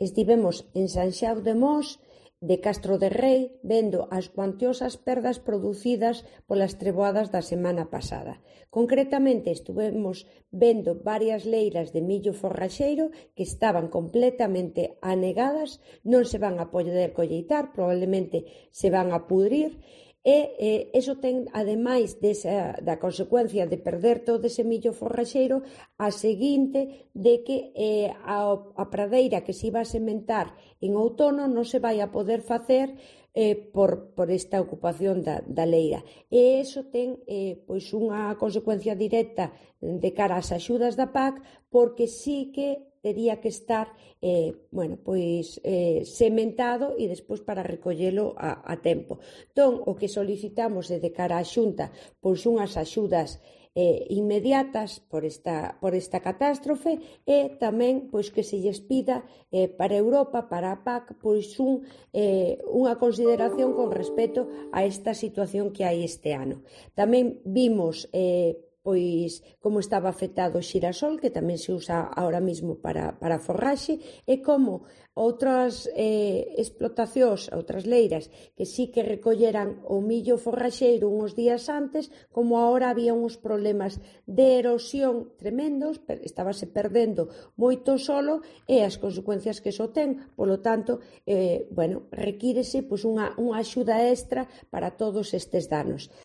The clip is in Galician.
estivemos en Sanxao de Mos, de Castro de Rei, vendo as cuantiosas perdas producidas polas treboadas da semana pasada. Concretamente, estuvemos vendo varias leiras de millo forraxeiro que estaban completamente anegadas, non se van a poder colleitar, probablemente se van a pudrir, e iso ten, ademais da consecuencia de perder todo ese millo forraxeiro, a seguinte de que a pradeira que se iba a sementar en outono non se vai a poder facer por esta ocupación da leira. E iso ten pois unha consecuencia directa de cara ás axudas da PAC, porque sí que tería que estar sementado e despois para recollelo a tempo. Entón, o que solicitamos de cara á Xunta pois unhas axudas inmediatas por esta catástrofe, e tamén pois que se lles pida para Europa, para a PAC, pois unha consideración con respecto a esta situación que hai este ano. Tamén vimos pois como estaba afectado o xirasol, que tamén se usa ahora mismo para forraxe, e como outras explotacións, outras leiras que sí que recolleran o millo forraxeiro uns días antes, como agora había uns problemas de erosión tremendos, estábase perdendo moito solo, e as consecuencias que iso ten, polo tanto, requírese pois unha axuda extra para todos estes danos.